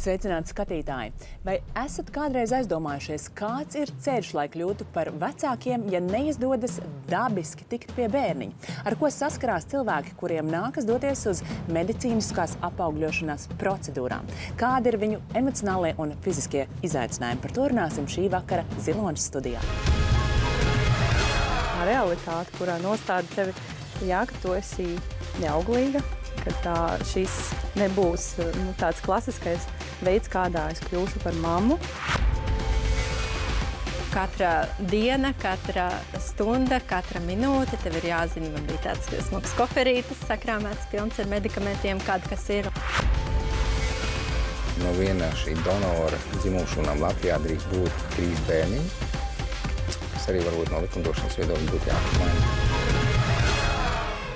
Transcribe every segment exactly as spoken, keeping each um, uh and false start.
Sveicināti skatītāji! Vai esat kādreiz aizdomājušies, kāds ir ceļš, lai kļūtu par vecākiem, ja neizdodas dabiski tikt pie bērniņa? Ar ko saskarās cilvēki, kuriem nākas doties uz medicīniskās apaugļošanās procedūrām? Kādi ir viņu emocionālie un fiziskie izaicinājumi? Par to runāsim šī vakara Ziloņas studijā. Tā realitāte, kurā nostāda tevi, jā, ka tu esi neauglīga, ka tā, šis nebūs nu, tāds klasiskais veids, kādā es kļūšu par mammu. Katra diena, katra stunda, katra minūte, tev ir jāzina, man bija tāds smags koferītis, sakrāmēts, pilns ar medikamentiem, kāda kas ir. No viena šī donora dzimumšūnām Latvijā drīkst būt trīs bērniņi, kas arī varbūt no likumdošanas viedokļa būtu jāapmaina.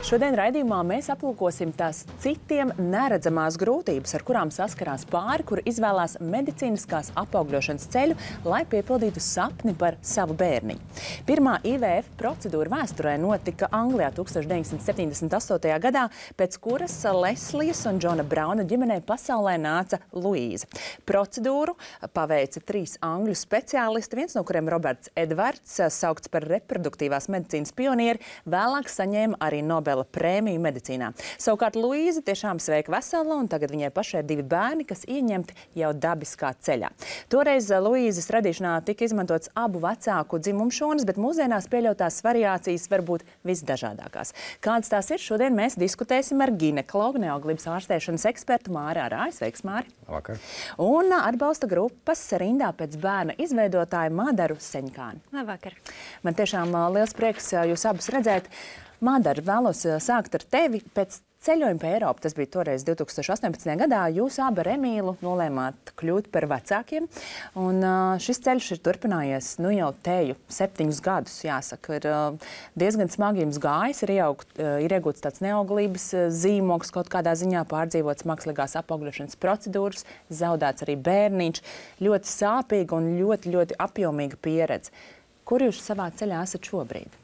Šodien raidījumā mēs aplūkosim tās citiem neredzamās grūtības, ar kurām saskarās pāri, kuri izvēlās medicīniskās apaugļošanas ceļu, lai piepildītu sapni par savu bērniņu. Pirmā I V F procedūra vēsturē notika Anglijā tūkstoš deviņsimt septiņdesmit astotajā gadā, pēc kuras Leslijas un Džona Brauna ģimenei pasaulē nāca Luīza. Procedūru paveica trīs angļu speciālisti, viens no kuriem Roberts Edvards, saukts par reproduktīvās medicīnas pionieri, vēlāk saņēma arī Nobela prēmiju medicīnā. Savukārt Luīza tiešām sveika vesela, un tagad viņai pašai ir divi bērni, kas ieņemti jau dabiskā ceļā. Toreiz Luīzas radīšanā tika izmantots abu vecāku dzimumšūnas, bet mūsdienās pieļautās variācijas var būt visdažādākās. Kādas tās ir, šodien mēs diskutēsim ar ginekologu, neauglības ārstēšanas ekspertu Māri Arāju. Sveiks, Māri! Labvakar! Un atbalsta grupas rindā pēc bērna izveidotāju Mādaru Seņkāni. Labvakar! Man tiešām liels prieks jūs abus redzēt. Mādara, vēlos sākt ar tevi. Pēc ceļojuma pa Eiropu, tas bija toreiz divtūkstoš astoņpadsmitajā gadā, jūs abi ar Emīlu nolēmāt kļūt par vecākiem. Un šis ceļš ir turpinājies nu jau teju septiņus gadus, jāsaka. Ir diezgan smagi jums gājis, ir, iaugt, ir iegūts tāds neauglības zīmogs, kaut kādā ziņā pārdzīvots mākslīgās apaugļošanas procedūras, zaudēts arī bērniņš. Ļoti sāpīga un ļoti, ļoti apjomīga pieredze. Kur jūs savā ceļā esat šobrīd?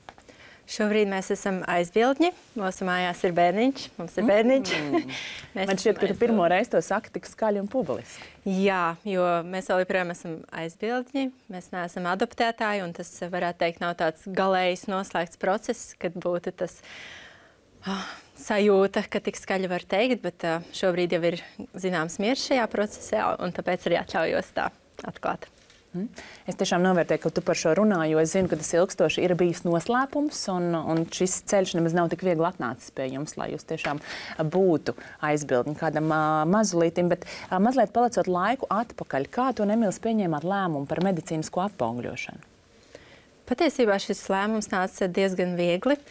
Šobrīd mēs esam aizbildņi. Mūsu mājās ir bērniņš. Mums ir bērniņš. Mm. Man šķiet, ka tu pirmo reizi to saki tik skaļi un publiski. Jā, jo mēs vēl joprojām esam aizbildņi. Mēs neesam adoptētāji, un tas, varētu teikt, nav tāds galējs noslēgts process, kad būtu tas oh, sajūta, ka tik skaļi var teikt, bet uh, šobrīd jau ir zināms miers šajā procesā, un tāpēc arī atļaujos tā atklāt. Es tiešām novērtēju, ka tu par šo runā, jo es zinu, ka tas ilgstoši ir bijis noslēpums, un, un šis ceļš nemaz nav tik viegli atnācis pie jums, lai jūs tiešām būtu aizbildņi kādam uh, mazulītim. Bet uh, mazliet palicot laiku atpakaļ, kā tu, Emīls, pieņēmāt lēmumu par medicīnisko apaugļošanu? Patiesībā šis lēmums nāca diezgan viegli.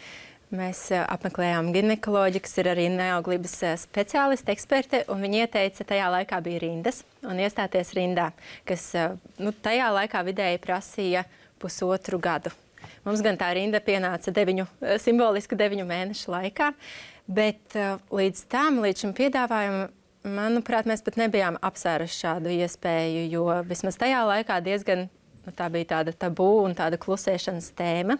Mēs apmeklējām ginekoloģi, kas ir arī neauglības speciālisti, eksperte, un viņi ieteica, tajā laikā bija rindas, un iestāties rindā, kas nu, tajā laikā vidēji prasīja pusotru gadu. Mums gan tā rinda pienāca deviņu, simboliski deviņu mēnešu laikā, bet līdz tam, līdz šim piedāvājumam, manuprāt, mēs pat nebijām apsvēruši šādu iespēju, jo vismaz tajā laikā diezgan Nu, tā bija tāda tabū un tāda klusēšanas tēma,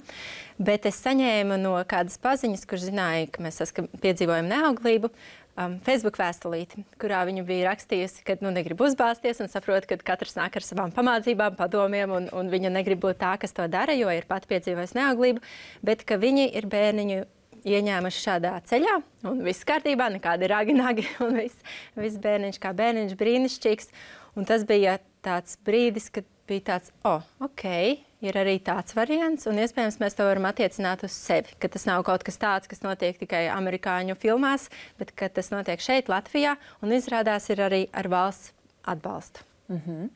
bet es saņēmu no kādas paziņas, kurš zināja, ka mēs piedzīvojam neauglību, um, Facebook vēstulīti, kurā viņa bija rakstījusi, ka nu, negrib uzbāzties un saprot, ka katrs nāk ar savām pamācībām, padomiem, un, un viņa negrib būt tā, kas to dara, jo ir pat piedzīvojis neauglību, bet ka viņi ir bērniņu ieņēmuši šādā ceļā, un viss kārtībā, nekādi ragi-nagi, un viss, viss bērniņš kā bērniņš brīnišķīgs. Un tas bija tāds brīdis, kad bija tāds, o, oh, ok, ir arī tāds variants, un iespējams mēs to varam attiecināt uz sevi, ka tas nav kaut kas tāds, kas notiek tikai amerikāņu filmās, bet ka tas notiek šeit, Latvijā, un izrādās ir arī ar valsts atbalstu. Mm-hmm.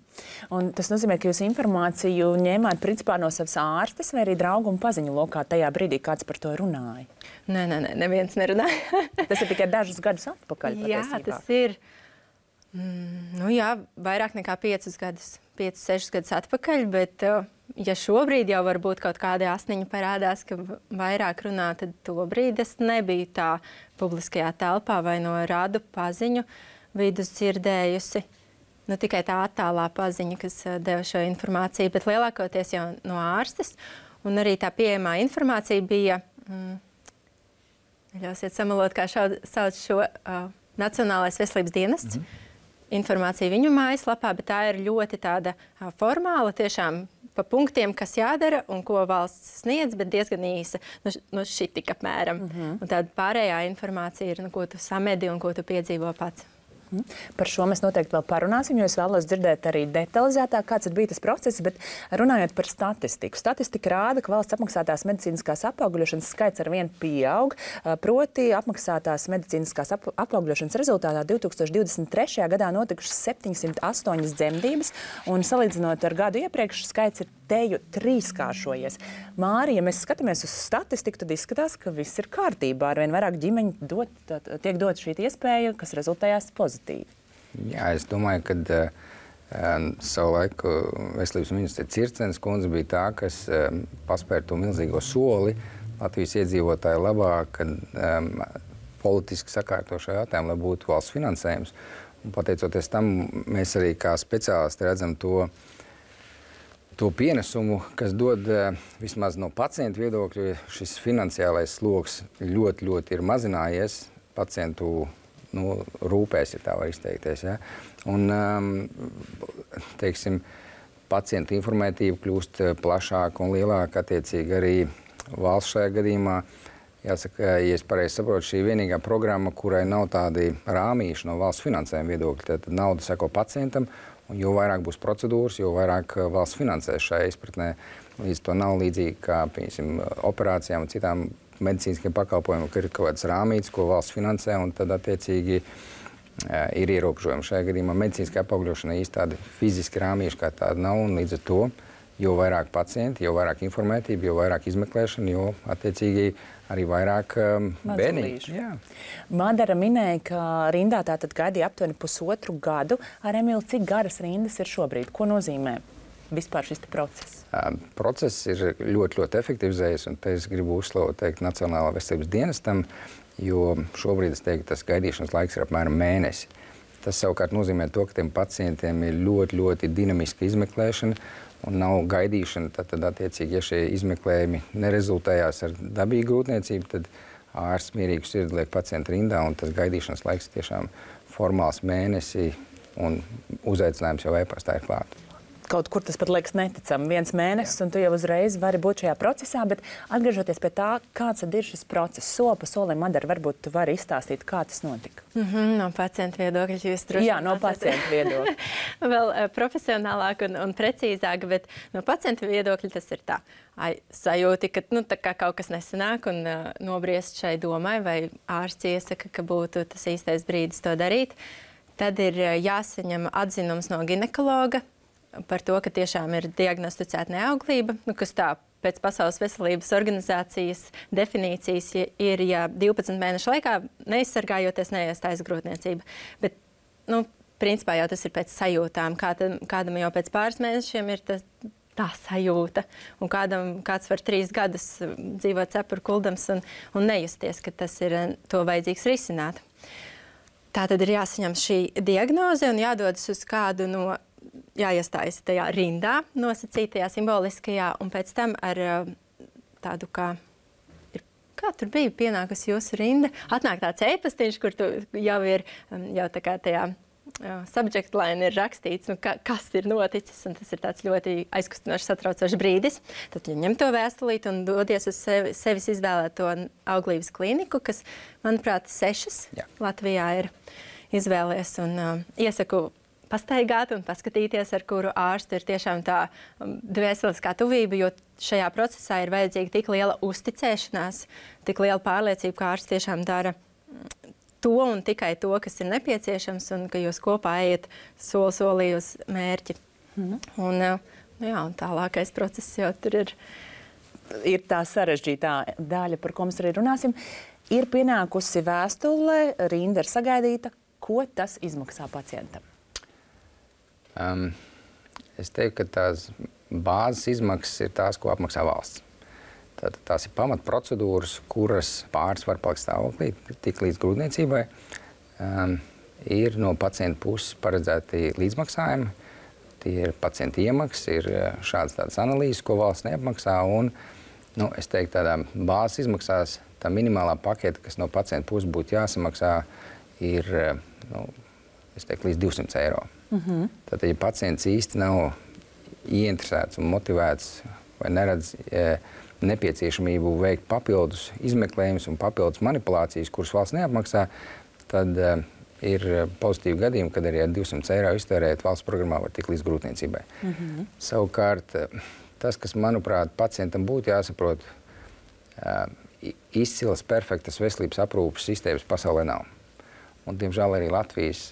Un tas nozīmē, ka jūs informāciju ņēmāt principā no savas ārstes vai arī draugu un paziņu lokā tajā brīdī, kāds par to runāja? Nē, nē, nē, neviens nerunāja. Tas ir tikai dažus gadus atpakaļ patiesībā. Jā, tas ir. Mm, nu jā, vairāk nekā piecus gadus, piecus, sešus gadus atpakaļ, bet ja šobrīd jau varbūt kaut kādi asniņi parādās, ka vairāk runā, tad tobrīd es nebiju tā publiskajā telpā vai no radu paziņu vidus dzirdējusi. Nu, tikai tā attālā paziņa, kas deva šo informāciju, bet lielākoties jau no ārstes. Un arī tā pieejamā informācija bija, mm, ļausiet samalot, kā šau, sauc šo uh, Nacionālais veselības dienests. Mm-hmm. informācija viņu mājaslapā, bet tā ir ļoti tāda formāla, tiešām pa punktiem, kas jādara un ko valsts sniedz, bet diezgan īsa, nu, nu šī tik apmēram. Mm-hmm. Un tāda pārējā informācija ir, nu, ko tu samedi un ko tu piedzīvo pats. Par šo mēs noteikti vēl parunāsim, jo es vēlos dzirdēt arī detalizētāk, kāds ir bijis tas process, bet runājot par statistiku. Statistika rāda, ka valsts apmaksātās medicīniskās apaugļošanas skaits ar vienu pieaug, proti apmaksātās medicīniskās ap apaugļošanas rezultātā divs tūkstoši divdesmit trešajā gadā notikušas septiņsimt astoņas dzemdības, un salīdzinot ar gadu iepriekš, skaits ir teju trīskāršojies. Māri, ja mēs skatāmies uz statistiku, tad izskatās, ka viss ir kārtībā. Arvien vairāk ģimeņu dot, tiek dot šī iespēja, kas rezultējās pozitīvi. Jā, es domāju, ka uh, savu laiku veselības ministre Circenes kundze bija tā, kas um, paspēra to milzīgo soli Latvijas iedzīvotāju labā, kad um, politiski sakārto šo jautājumu, lai būtu valsts finansējums. Un pateicoties tam, mēs arī kā speciālisti redzam to, to pienesumu, kas dod uh, vismaz no pacientu viedokļa, šis finansiālais sloks ļoti, ļoti ir mazinājies pacientu nu, rūpēs, ja tā var izteikties. Ja? Un, um, teiksim, pacientu informētība kļūst plašāka un lielāka, attiecīgi arī valsts šajā gadījumā. Jāsaka, ja es pareizi saprotu, šī vienīgā programma, kurai nav tādi rāmīši no valsts finansējuma viedokļa, tad nauda seko pacientam, un jo vairāk būs procedūras, jo vairāk valsts finansēs šajā izpratnē. Līdz to nav līdzīgi kā, piemēram, operācijām un citām medicīniskiem pakalpojumiem, ka ir kaut kāds rāmīts, ko valsts finansē, un tad attiecīgi ir ierobežojumi. Šajā gadījumā medicīniskā apaugļošana īsti tādi fiziski rāmīši kā tāda nav, un līdz ar to, jo vairāk pacienti, jo vairāk informētība, jo vairāk izmeklēšana, jo attiecīgi arī vairāk um, bērniņu. Madara minēja, ka rindā tātad gaidīja aptuveni pusotru gadu. Ar Emīlu, cik garas rindas ir šobrīd? Ko nozīmē vispār šis process? Uh, process ir ļoti, ļoti efektivizējies, un te es gribu uzslavot teikt Nacionālā veselības dienestam, jo šobrīd es teiktu, tas gaidīšanas laiks ir apmēram mēnesi. Tas savukārt nozīmē to, ka tiem pacientiem ir ļoti, ļoti dinamiska izmeklēšana un nav gaidīšana. Tad, tad attiecīgi, ja šie izmeklējumi nerezultējās ar dabīgu grūtniecību, tad ārsts mierīgu sirdi liek pacientu rindā, un tas gaidīšanas laiks tiešām formāls mēnesi, un uzaicinājums jau e-pastā ir klāt. Kaut kur tas pat liekas neticami. Viens mēnesis, un tu jau uzreiz vari būt šajā procesā, bet atgriežoties pie tā, kāds tad ir šis process, soli pa solim, Madara, varbūt tu vari izstāstīt, kā tas notika. Mm-hmm, no pacienta viedokļa jūs droši. Jā, no pacienta viedokļa. Vēl uh, profesionālāk un, un precīzāk, bet no pacienta viedokļa tas ir tā. Ai, sajūti, ka nu, tā kā kaut kas nesanāk un uh, nobriest šai domai, vai ārsts iesaka, ka būtu tas īstais brīdis to darīt, tad ir uh, jāsaņem atzinums no ginekologa par to, ka tiešām ir diagnosticēta neauglība, nu, kas tā pēc Pasaules veselības organizācijas definīcijas ir, ja divpadsmit mēnešu laikā neizsargājoties neiestājas grūtniecība. Bet, nu, principā jau tas ir pēc sajūtām. Kādam, kādam jau pēc pāris mēnešiem ir tas, tā sajūta, un kādam, kāds var trīs gadus dzīvot cepuru kuldams un, un nejusties, ka tas ir to vajadzīgs risināt. Tā tad ir jāsaņem šī diagnoze un jādodas uz kādu no jāiestājas tajā rindā, nosacītajā, simboliskajā, un pēc tam ar tādu kā, ir, kā tur bija pienākusi jūsu rinda, atnāk tāds e-pastiņš, kur tu jau ir, jau tā kā tajā uh, subject line ir rakstīts, nu, ka, kas ir noticis, un tas ir tāds ļoti aizkustinošs, satraucošs brīdis. Tad ja ņem to vēstulīti un dodies uz sevi, sevis izvēlēto auglības kliniku, kas, manuprāt, sešas Jā. Latvijā ir izvēlies, un uh, iesaku pastaigāt un paskatīties, ar kuru ārstu ir tiešām tā dvēseliskā tuvība, jo šajā procesā ir vajadzīga tik liela uzticēšanās, tik liela pārliecība, ka ārsts tiešām dara to un tikai to, kas ir nepieciešams, un ka jūs kopā ejat soli solī uz mērķi. Mm. Un, nu jā, un tālākais process jau tur ir. Ir tā sarežģītā daļa, par ko mēs arī runāsim. Ir pienākusi vēstule, rinda ir sagaidīta. Ko tas izmaksā pacientam? Um, es teiktu, ka tās bāzes izmaksas ir tās, ko apmaksā valsts. Tātad tās ir pamatprocedūras, kuras pāris var palikt stāvoklī, tik līdz grūtniecībai. Um, ir no pacienta puses paredzēti līdzmaksājumi, tie ir pacienta iemaksas, ir šādas tādas analīzes, ko valsts neapmaksā, un, nu, es teiktu, tādā bāzes izmaksās, tā minimālā paketa, kas no pacienta puses būtu jāsamaksā, ir, nu, es teiktu, līdz divsimt eiro. Mm-hmm. Tad, ja pacients īsti nav ieinteresēts un motivēts vai neredz e, nepieciešamību veikt papildus izmeklējumus un papildus manipulācijas, kuras valsts neapmaksā, tad e, ir pozitīvi gadījumi, kad arī ar divsimt eiro iztērēt valsts programmā var tikt līdz grūtniecībai. Mm-hmm. Savukārt, tas, kas, manuprāt, pacientam būtu jāsaprot, izcilas, perfektas veselības aprūpes sistēmas pasaulē nav. Un, diemžēl, arī Latvijas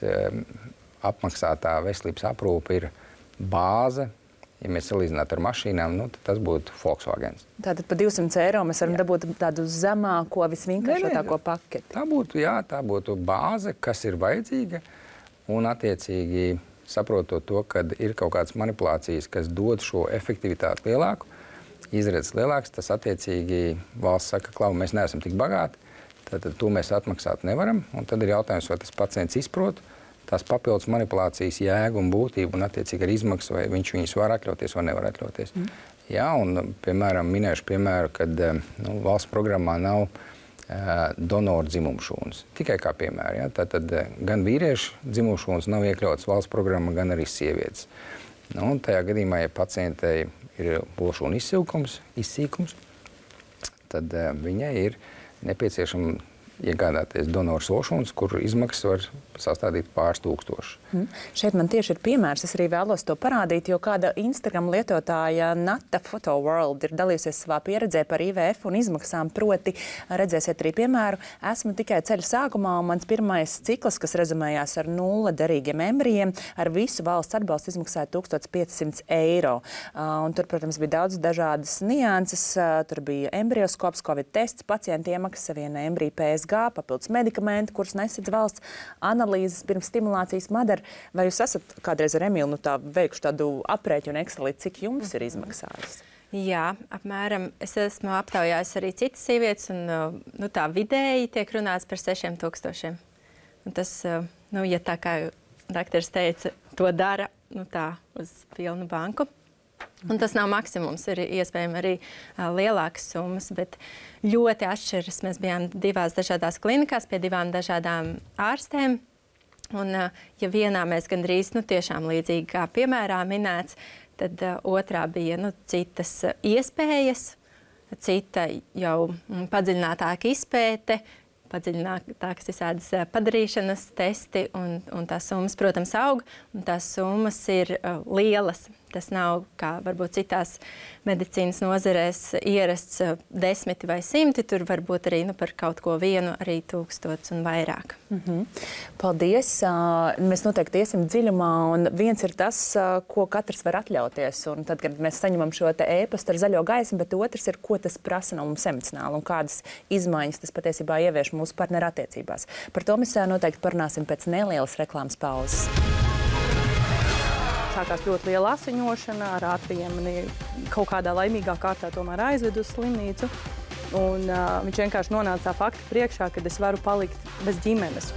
apmaksātā veselības aprūpe ir bāze. Ja mēs salīdzinātu ar mašīnām, nu, tad tas būtu Volkswagens. Tātad par divsimt eiro mēs varam jā. dabūt tādu zemāko, visvienkāršotāko paketi. Tā būtu, jā, tā būtu bāze, kas ir vajadzīga, un attiecīgi saprotot to, ka ir kaut kādas manipulācijas, kas dod šo efektivitāti lielāku, izredzes lielāks, tas attiecīgi valsts saka, klau, mēs neesam tik bagāti, tad to mēs atmaksāt nevaram, un tad ir jautājums, vai tas pacients izprot tās papildus manipulācijas jēgu un būtību un attiecīgi ar izmaksu, vai viņš viņus var atļauties vai nevar atļauties. Mm. Jā, un, piemēram, minēšu piemēru, kad nu, valsts programmā nav uh, donoru dzimumšūnas. Tikai kā piemēra. Ja? Tātad gan vīriešu dzimumšūnas nav iekļautas valsts programmā, gan arī sievietes. Nu, un tajā gadījumā, ja pacientei ir lošūna izsilkums, izsīkums, tad uh, viņai ir nepieciešama iegādāties donoru lošūnas, kur izmaksas var sastādīt pāris tūkstoši. Hmm. Šeit man tieši ir piemērs, es arī vēlos to parādīt, jo kāda Instagram lietotāja Nata Photo World ir dalījusies savā pieredzē par I V F un izmaksām, proti redzēsiet arī piemēru. Esmu tikai ceļa sākumā, un mans pirmais cikls, kas rezumējās ar nulle derīgiem embrijiem, ar visu valsts atbalstu izmaksāja tūkstoš piecsimt eiro. Uh, un tur, protams, bija daudz dažādas nianses. Uh, tur bija embrioskops, covid tests, pacienta iemaksas, viena embrija P S G, papildus medikamenti, kurus nesedz valsts, analīzes pirms stimulācijas Madara. Vai jūs esat kādreiz ar Emilu nu, tā, veikuši tādu aprēķinu Excelī, cik jums ir izmaksājis? Jā, apmēram. Es esmu aptaujājis arī citas sievietes, un nu, tā vidēji tiek runāts par sešiem tūkstošiem. Un tas, nu, ja tā kā dakteris teica, to dara nu, tā uz pilnu banku. Un tas nav maksimums, ir iespējami arī uh, lielākas summas, bet ļoti atšķiras. Mēs bijām divās dažādās klinikās pie divām dažādām ārstēm. Un, uh, ja vienā mēs gandrīz nu, tiešām līdzīgi kā piemērā minēts, tad uh, otrā bija nu, citas uh, iespējas, cita jau mm, padziļinātāka izpēte, padziļinātākas visādas uh, padarīšanas testi, un, un tās summas, protams, aug, un tās summas ir uh, lielas. Tas nav, kā varbūt citās medicīnas nozarēs, ierasts desmiti vai simti. Tur var būt arī nu, par kaut ko vienu, arī tūkstots un vairāk. Mm-hmm. Paldies! Mēs noteikti iesim dziļumā, un viens ir tas, ko katrs var atļauties. Un tad, kad mēs saņemam šo te ēpastu ar zaļo gaismu, bet otrs ir, ko tas prasa no mums emocionāli un kādas izmaiņas tas patiesībā ievieš mūsu partneru attiecībās. Par to mēs noteikti parunāsim pēc nelielas reklāmas pauzes. Sākās ļoti liela asiņošana, ar ātriem mani kaut kādā laimīgā kārtā tomēr aizvedu uz slimnīcu. Un, uh, viņš vienkārši nonāca tā fakta priekšā, kad es varu palikt bez ģimenes.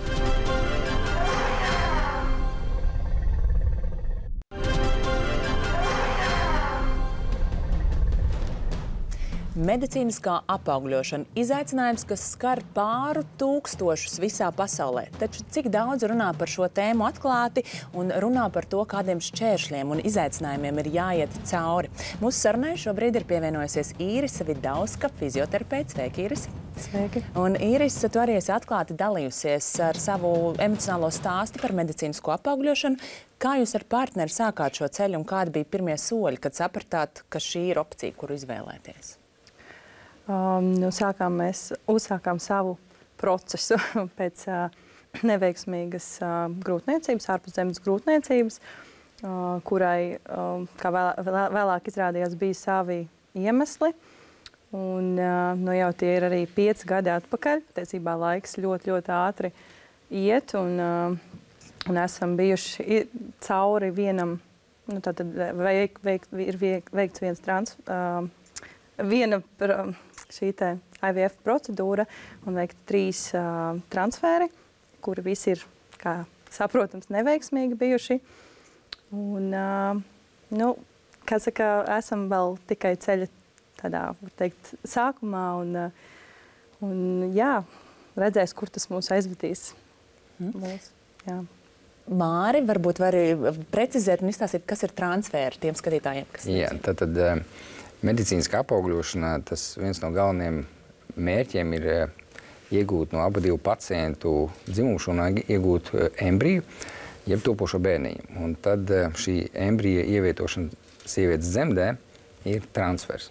Medicīniskā apaugļošana – izaicinājums, kas skar pāru tūkstošus visā pasaulē. Taču cik daudz runā par šo tēmu atklāti un runā par to, kādiem šķēršļiem un izaicinājumiem ir jāiet cauri. Mūsu sarunai šobrīd ir pievienojusies Īrise Vidauska, fizioterapeits. Sveiki, Īrise! Sveiki! Un Īrise, tu arī esi atklāti dalījusies ar savu emocionālo stāstu par medicīnisko apaugļošanu. Kā jūs ar partneri sākāt šo ceļu un kādi bija pirmie soļi, kad sapratāt, ka šī ir opcija, kuru izvēlēties? Um, nu, sākām mēs uzsākām savu procesu pēc uh, neveiksmīgas uh, grūtniecības, ārpuszemes grūtniecības, uh, kurai, uh, kā vēl, vēl, vēlāk izrādījās, bija savi iemesli. Un, uh, nu, jau tie ir arī pieci gadi atpakaļ. Patiesībā laiks ļoti, ļoti ātri iet, un, uh, un esam bijuši cauri vienam, nu, tātad veik, veik, ir veikts viens trans, uh, viena šī te I V F procedūra un veikt trīs uh, transferi, kuri visi ir, kā saprotams, neveiksmīgi bijuši. Un, uh, nu, kā saka, esam vēl tikai ceļa tādā, var teikt, sākumā un, uh, un jā, redzēs, kur tas mūs aizvedīs. Mm. Mūs, jā. Māri, varbūt vari precizēt un izstāstīt, kas ir transfēri tiem skatītājiem, kas Jā, tad, tad medicīniskā apaugļošanā tas viens no galvenajiem mērķiem ir iegūt no abu divu pacientu dzimumu šūnā iegūt embriju, jeb topošo bērniņu. Un tad šī embrija ievietošana sievietes dzemdē ir transfers.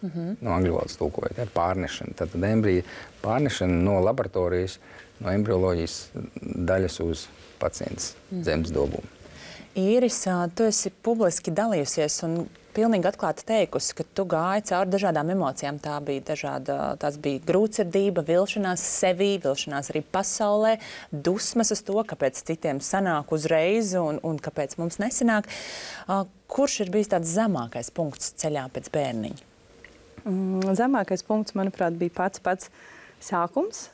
Mm-hmm. No angļu valodas tulkojot, ja, pārnešana. Tad embrija pārnešana no laboratorijas, no embrioloģijas daļas uz pacients mm. zemes dobumu. Īris, tu esi publiski dalījusies un pilnīgi atklāti teikusi, ka tu gāji cauri dažādām emocijām. Tā bija dažāda, tās bija grūtsirdība, vilšanās sevī, vilšanās arī pasaulē, dusmas uz to, kāpēc citiem sanāk uzreiz un, un kāpēc mums nesanāk. Kurš ir bijis tāds zemākais punkts ceļā pēc bērniņa? Zemākais punkts, manuprāt, bija pats pats sākums.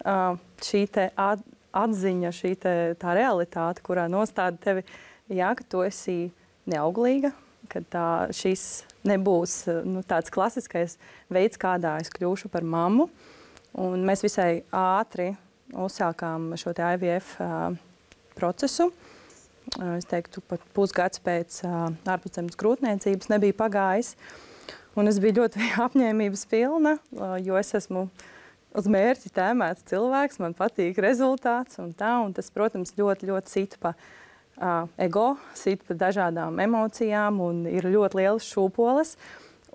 Šī te atziņa, šī te tā realitāte, kurā nostāda tevi, jā, ka tu esi neauglīga, ka tā, šis nebūs nu, tāds klasiskais veids, kādā es kļūšu par mammu. Un mēs visai ātri uzsākām šo te I V F uh, procesu. Uh, es teiktu, pat pusgads pēc uh, ārpuszemes grūtniecības nebija pagājis. Un es biju ļoti apņēmības pilna, jo es esmu uz mērķi tēmēts cilvēks, man patīk rezultāts un tā. Un tas, protams, ļoti, ļoti sit pa uh, ego, sit pa dažādām emocijām un ir ļoti lielas šūpoles.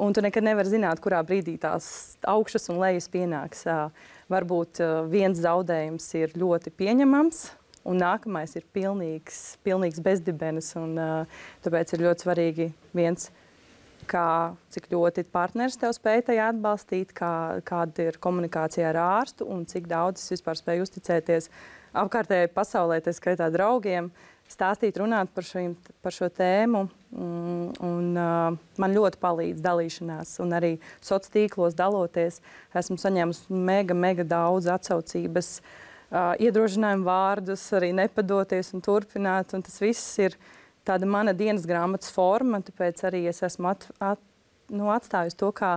Un tu nekad nevari zināt, kurā brīdī tās augšas un lejas pienāks. Uh, varbūt uh, viens zaudējums ir ļoti pieņemams, un nākamais ir pilnīgs, pilnīgs bezdibenis. Un, uh, tāpēc ir ļoti svarīgi viens, kā, cik ļoti partneris tev spēj tajā atbalstīt, kā, kāda ir komunikācija ar ārstu un cik daudz es vispār spēju uzticēties apkārtējai pasaulē, tā skaitā draugiem, stāstīt, runāt par, šim, par šo tēmu. Un, un, uh, man ļoti palīdz dalīšanās un arī sociālos tīklos daloties. Esmu saņēmusi mega, mega daudz atsaucības, uh, iedrošinājumu vārdus, arī nepadoties un turpināt. Un tas viss ir tāda mana dienas grāmatas forma, tāpēc arī es esmu at, at, nu, atstājusi to kā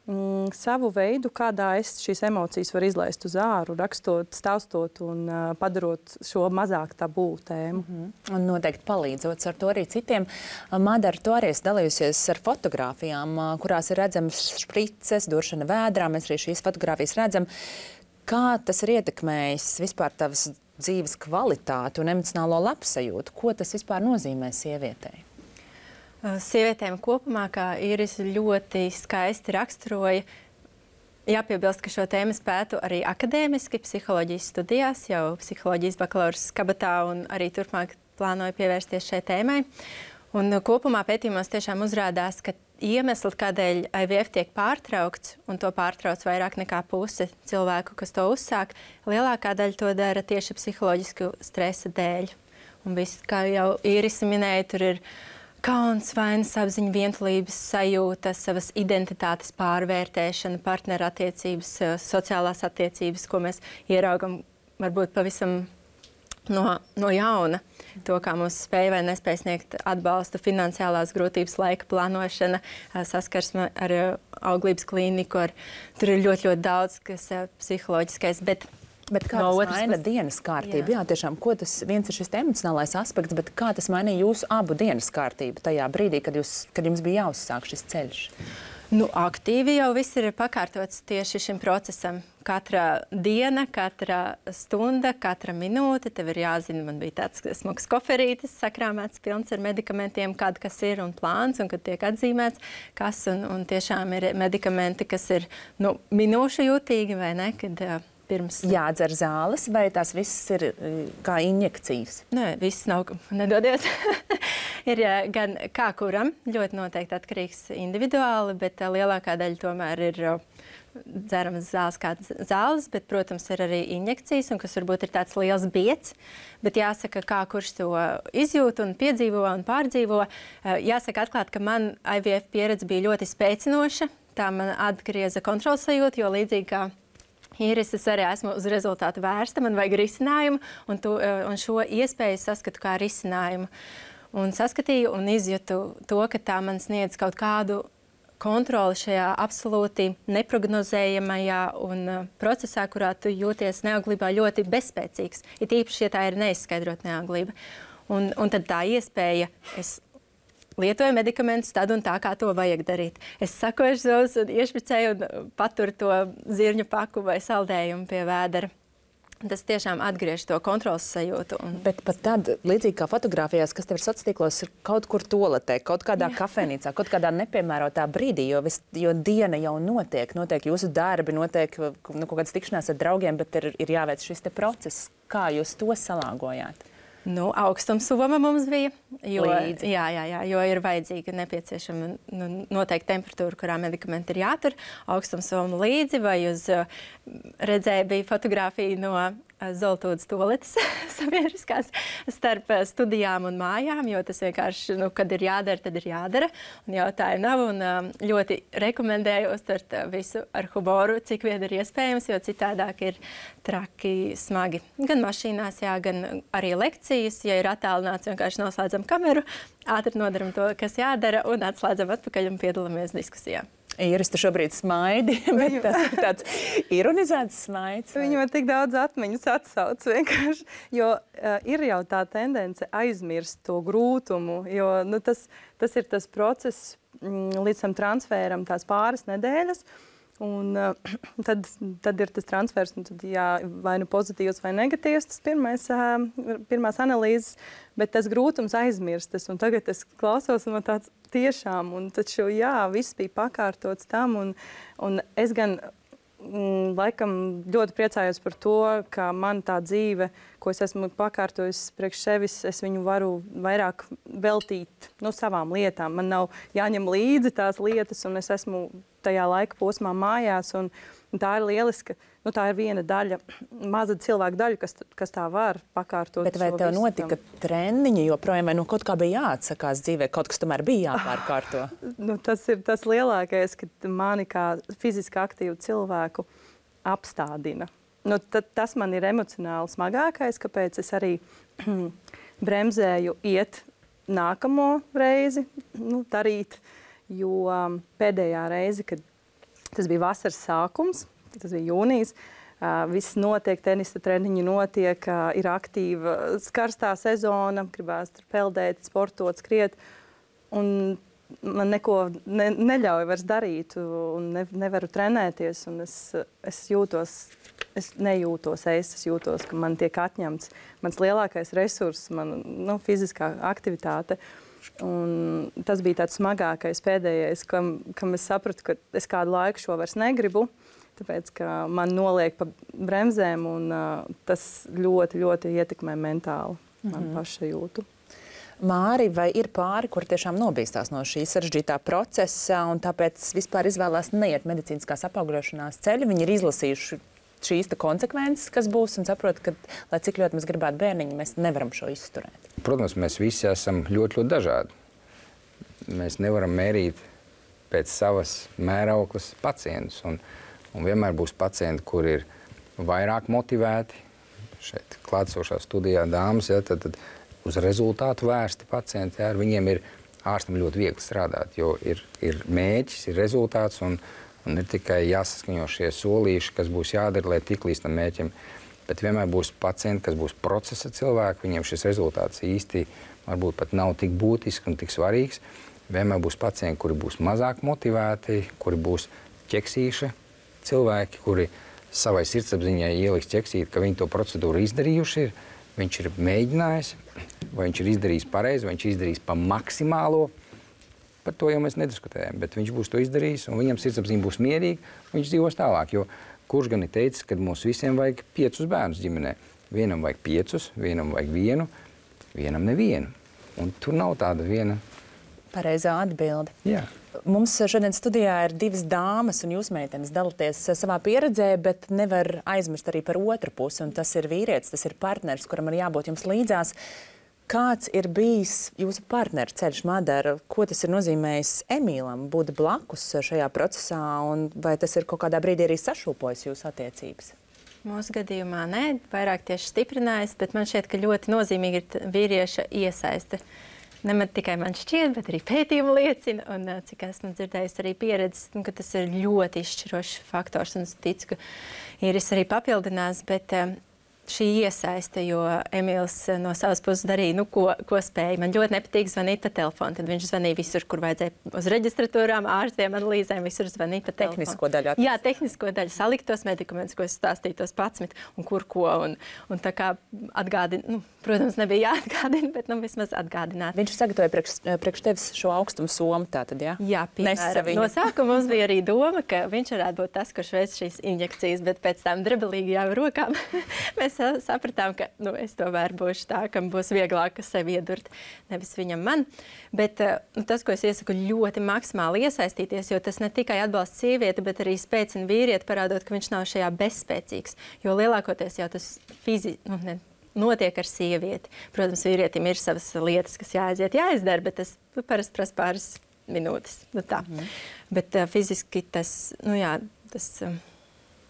mm, savu veidu, kādā es šīs emocijas varu izlaist uz āru, rakstot, stāstot un uh, padarot šo mazāk tabū tēmu. Mm-hmm. Un noteikti palīdzot ar to arī citiem. Madara, tu arī esi dalījusies ar fotogrāfijām, kurās ir redzams šprices, duršana vēdrā. Mēs arī šīs fotogrāfijas redzam. Kā tas ir ietekmējis vispār tavas dzīves kvalitāti un emocionālo labsajūtu? Ko tas vispār nozīmē sievietei? Sievietēm kopumā, kā Īris ļoti skaisti raksturoja, jāpiebilst, ka šo tēmu pētu arī akadēmiski psiholoģijas studijās, jau psiholoģijas bakalauras kabatā un arī turpmāk plānoju pievērsties šai tēmai. Un kopumā pētījumos tiešām uzrādās, ka iemesli, kādēļ I V F tiek pārtraukts, un to pārtrauc vairāk nekā puse cilvēku, kas to uzsāk, lielākā daļa to dara tieši psiholoģisku stresa dēļ. Un viss, kā jau Īris minēja, tur ir kauns, vainas apziņa, vientulības sajūta, savas identitātes pārvērtēšana, partnerattiecības, sociālās attiecības, ko mēs ieraugam varbūt pavisam no, no jauna. To, kā mums spēja vai nespēja sniegt atbalstu, finansiālās grūtības, laika plānošana, saskarsme ar auglības klīniku. Ar, tur ir ļoti, ļoti daudz, kas psiholoģiskais. Bet, bet kā no tas maina pas... dienas kārtību? Jā. Jā, tiešām, ko tas viens ir šis emocionālais aspekts, bet kā tas mainīja jūsu abu dienas kārtību tajā brīdī, kad, jūs, kad jums bija jāuzsāk šis ceļš? Nu, aktīvi jau viss ir pakārtots tieši šim procesam. Katra diena, katra stunda, katra minūte. Tev ir jāzina, man bija tāds smags koferītis, sakrāmēts, pilns ar medikamentiem, kāda kas ir un plāns, un kad tiek atzīmēts, kas. Un, un tiešām ir medikamenti, kas ir nu, minūšu jūtīgi, vai ne? Kad, uh, pirms... Jādzer zāles, vai tās viss ir kā injekcijas? Nē, viss nav, nedodies. Ir gan kā kuram, ļoti noteikti atkarīgs individuāli, bet uh, lielākā daļa tomēr ir uh, dzeramas zāles kā zāles, bet, protams, ir arī injekcijas, un kas varbūt ir tāds liels biets, bet jāsaka, kā kurš to izjūt un piedzīvo un pārdzīvo. Uh, jāsaka atklāt, ka man I V F pieredze bija ļoti spēcinoša, tā man atgrieza kontrols sajūtu, jo līdzīgi kā Īris, es arī esmu uz rezultātu vērsta, man vajag risinājumu, un, tu, un šo iespēju saskatu kā risinājumu. Un saskatīju un izjūtu to, ka tā man sniedz kaut kādu kontroli šajā absolūti neprognozējamajā un uh, procesā, kurā tu jūties neauglībā ļoti bezspēcīgs. Ir īpaši, ja tā ir neizskaidrot neauglība. Un, un tad tā iespēja, es lietoju medikamentus tad un tā, kā to vajag darīt. Es sakošu savus un iešpricēju un paturu to zirņu paku vai saldējumu pie vēdera. Tas tiešām atgriež to kontrolas sajūtu. Un... Bet pat tad, līdzīgi kā fotografijās, kas tev ir sociālos tīklos, ir kaut kur toaletē, kaut kādā Jā. kafejnīcā, kaut kādā nepiemērotā brīdī, jo, vis, jo diena jau notiek, notiek jūsu darbi, notiek nu, kaut kādas tikšanās ar draugiem, bet ir, ir jāveic šis te process. Kā jūs to salāgojāt? Nu, augstumsoma mums bija, jo, Līdzi. jā, jā, jā, jo ir vajadzīga nepieciešama nu, noteikta temperatūra, kurā medikamenti ir jātur. Augstumsoma līdzi vai uz redzēja bija fotografija no Zoltūdas toaletes sabiedriskās starp studijām un mājām, jo tas vienkārši, nu, kad ir jādara, tad ir jādara. Un jautājumu nav un ļoti rekomendēju uztvert visu ar humoru, cik vien ir iespējams, jo citādāk ir traki, smagi. Gan mašīnās, jā, gan arī lekcijas, ja ir attālināts, vienkārši noslēdzam kameru, ātri nodaram to, kas jādara un atslēdzam atpakaļ un piedalāmies diskusijā. Iris, tu šobrīd smaidi, bet tas ir tāds ironizēts smaids. Vai? Viņam ir tik daudz atmiņas atsauc vienkārši, jo uh, ir jau tā tendence aizmirst to grūtumu, jo nu, tas, tas ir tas process mm, līdz tam transferam tās pāris nedēļas, un uh, tad, tad ir tas transfers, un tad jā, vai nu pozitīvs vai negatīvs, tas pirmais, uh, pirmās analīzes, bet tas grūtums aizmirstas, un tagad es klausos, un man tāds tiešām, un taču, jā, viss bija pakārtots tam, un, un es gan mm, laikam ļoti priecājos par to, ka man tā dzīve, ko es esmu pakārtojis priekš sevis, es viņu varu vairāk veltīt no savām lietām. Man nav jāņem līdzi tās lietas, un es esmu tajā laika posmā mājās, un, un tā ir lieliska, nu tā ir viena daļa, maza cilvēka daļa, kas, kas tā var pakārtot. Bet vai tev notika treniņi joprojām, vai nu kaut kā bija jāatsakās dzīvē, kaut kas tomēr bija jāpārkārto? Nu, tas ir tas lielākais, ka mani kā fiziski aktīvu cilvēku apstādina. Nu, tad, tas man ir emocionāli smagākais, kāpēc es arī bremzēju iet nākamo reizi, nu, darīt, jo um, pēdējā reize, kad tas bija vasaras sākums, tas bija jūnijas, uh, viss notiek, tenisa treniņi notiek, uh, ir aktīva karstā sezona, gribās tur peldēt, sportot, skriet, un man neko ne, neļauj vairs darīt, un ne, nevaru trenēties, un es, es jūtos, es nejūtos es, es jūtos, ka man tiek atņemts mans lielākais resurss, man, nu, fiziskā aktivitāte. Un tas bija tāds smagākais pēdējais, kam, kam es sapratu, ka es kādu laiku šo vairs negribu, tāpēc, ka man noliek pa bremzēm, un uh, tas ļoti, ļoti ietekmē mentāli man mm-hmm. pašsajūtu. Māri, vai ir pāri, kur tiešām nobīstās no šī sarežģītā procesa, un tāpēc vispār izvēlās neiet medicīniskās apaugļošanās ceļu? Viņi ir izlasījuši šīs konsekvences, kas būs, un saprot, ka, lai cik ļoti mēs gribētu bērniņu, mēs nevaram šo izturēt. Protams, mēs visi esam ļoti, ļoti dažādi. Mēs nevaram mērīt pēc savas mērauklas pacientus, un, un vienmēr būs pacienti, kur ir vairāk motivēti. Šeit klātsošā studijā dāmas, ja, tad, tad uz rezultātu vērsti pacienti, ja, ar viņiem ir ārstam ļoti viegli strādāt, jo ir, ir mēģis, ir rezultāts, un Un ir tikai jāsaskaņo šie solīši, kas būs jādara, lai tik līdz tam mēķim. Bet vienmēr būs pacienti, kas būs procesa cilvēki, viņiem šis rezultāts īsti varbūt pat nav tik būtisks un tik svarīgs. Vienmēr būs pacienti, kuri būs mazāk motivēti, kuri būs ķeksīši cilvēki, kuri savai sirdsapziņai ieliks ķeksīt, ka viņi to procedūru izdarījuši ir. Viņš ir mēģinājis, vai viņš ir izdarījis pareizi, vai viņš ir izdarījis pa maksimālo. Par to jau mēs nediskutējam, bet viņš būs to izdarījis, un viņam sirdsapziņa būs mierīga, un viņš dzīvos tālāk. Jo kurš gan ir teicis, ka mums visiem vajag piecus bērnus ģimenē? Vienam vajag piecus, vienam vajag vienu, vienam nevienu. Un tur nav tāda viena pareizā atbilde. Jā. Mums šodien studijā ir divas dāmas, un jūs, meitenes, dalāties savā pieredzē, bet nevar aizmirst arī par otru pusi, un tas ir vīrietis, tas ir partners, kuram ir jābūt jums līdzās. Kāds ir bijis jūsu partneru ceļš, Madara? Ko tas ir nozīmējis Emīlam būt blakus šajā procesā, un vai tas ir kaut kādā brīdī arī sašūpojis jūsu attiecības? Mūsu gadījumā nē, vairāk tieši stiprinājis, bet man šķiet, ka ļoti nozīmīgi ir vīrieša iesaiste. Ne tikai man šķiet, bet arī pētījumi liecina, un cik esmu dzirdējusi arī pieredzes, ka tas ir ļoti izšķirošs faktors, un es ticu, ka Iris arī papildinās, bet šī iesaiste, jo Emīls no savas puses darīja, nu, ko, ko spēja. Man ļoti nepatīk zvanīt pa telefonu. Tad viņš zvanīja visur, kur vajadzēja uz reģistratūrām, ārstiem, analīzēm, visur zvanīja pa telefonu. Tehnisko daļu atrast. Jā, tehnisko daļu, salikt tos medikamentus, ko es stāstīju, tos patsmit, un kur ko. Un, un tā kā atgādina, nu, protams, nebija jāatgādina, bet nu, vismaz atgādināt. Viņš sagatavoja priekš, priekš tevis šo augstumu somu, tātad, jā? Jā, piemēram. No sākuma mums bija arī doma, ka viņš varētu būt tas, kurš veic šīs injekcijas, bet pēc tām drebelīgajām rokām mēs sapratām, ka nu, es tomēr būšu tā, kam būs vieglāk sevi iedurt, nevis viņam man. Bet nu, tas, ko es iesaku, ļoti maksimāli iesaistīties, jo tas ne tikai atbalsta sievieti, bet arī spēcina vīrieti, parādot, ka viņš nav šajā bezspēcīgs. Jo lielākoties jau tas fizi, nu, ne, notiek ar sievieti. Protams, vīrietim ir savas lietas, kas jāaiziet, jāizdara, bet tas parasti prasa pāris minūtes. Nu, tā. Mm. Bet uh, fiziski tas, nu jā, tas... Uh,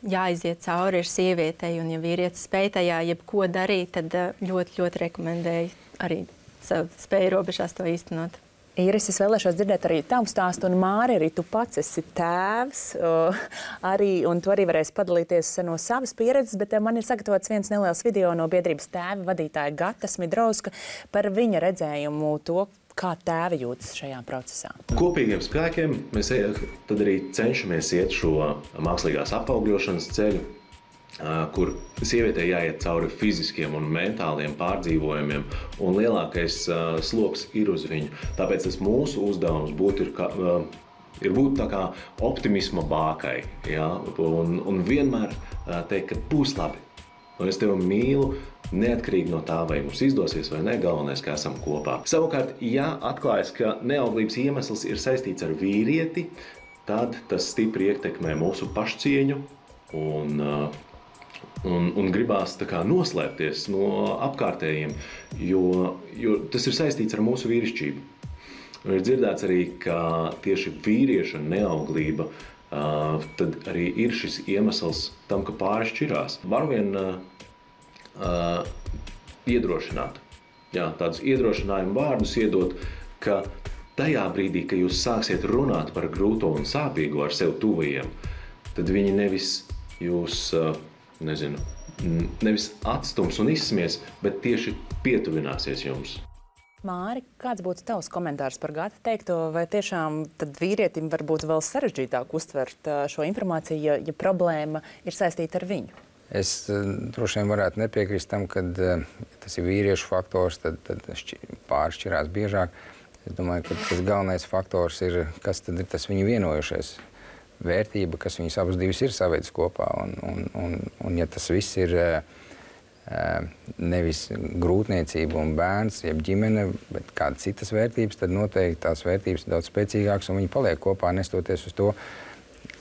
jāiziet cauri ir sievietei, un ja vīrietis spēj tajā jebko darīt, tad ļoti, ļoti rekomendēju arī savu spēju robežās to īstenot. Īris, es vēlēšos dzirdēt arī tavu stāstu, un Māri, arī tu pats esi tēvs, uh, arī, un tu arī varēsi padalīties no savas pieredzes, bet uh, man ir sagatavots viens neliels video no biedrības tēva vadītāja Gata Smidrovska par viņa redzējumu to, kā tēvi jūtas šajā procesā. Kopīgiem spēkiem mēs tad arī cenšamies iet šo mākslīgās apaugļošanas ceļu, kur sievietei jāiet cauri fiziskiem un mentāliem pārdzīvojumiem, un lielākais sloks ir uz viņu. Tāpēc tas mūsu uzdevums būtu ir, kā, ir būt tā kā optimisma bākai, ja? un, un vienmēr teikt, ka būs labi. Un es tevi mīlu, neatkarīgi no tā, vai mums izdosies vai ne, galvenais, ka esam kopā. Savukārt, ja atklājas, ka neauglības iemesls ir saistīts ar vīrieti, tad tas stipri ietekmē mūsu pašcieņu un, un, un gribās tā kā noslēpties no apkārtējiem, jo, jo tas ir saistīts ar mūsu vīrišķību. Un ir dzirdēts arī, ka tieši vīrieša neauglība Uh, tad arī ir šis iemesls tam, ka pāri šķirās. Var vien uh, uh, iedrošināt, jā, tādus iedrošinājumu vārdus iedot, ka tajā brīdī, kad jūs sāksiet runāt par grūto un sāpīgo ar sev tuvajiem, tad viņi nevis jūs, uh, nezinu, nevis atstums un izsmies, bet tieši pietuvināsies jums. Māri, kāds būtu tavs komentārs par Gata teikto, vai tiešām tad vīrietim var būt vēl sarežģītāk uztvert šo informāciju, ja, ja problēma ir saistīta ar viņu? Es droši vien varētu nepiekrist tam, ka ja tas ir vīriešu faktors, tad, tad pāršķirās biežāk. Es domāju, ka tas galvenais faktors ir, kas tad ir tas viņu vienojušais vērtība, kas viņus abas divas ir savedis kopā. Un, un, un, un ja tas viss ir nevis grūtniecība un bērns, jeb ģimene, bet kādas citas vērtības, tad noteikti tās vērtības ir daudz spēcīgākas un viņi paliek kopā, nestoties uz to,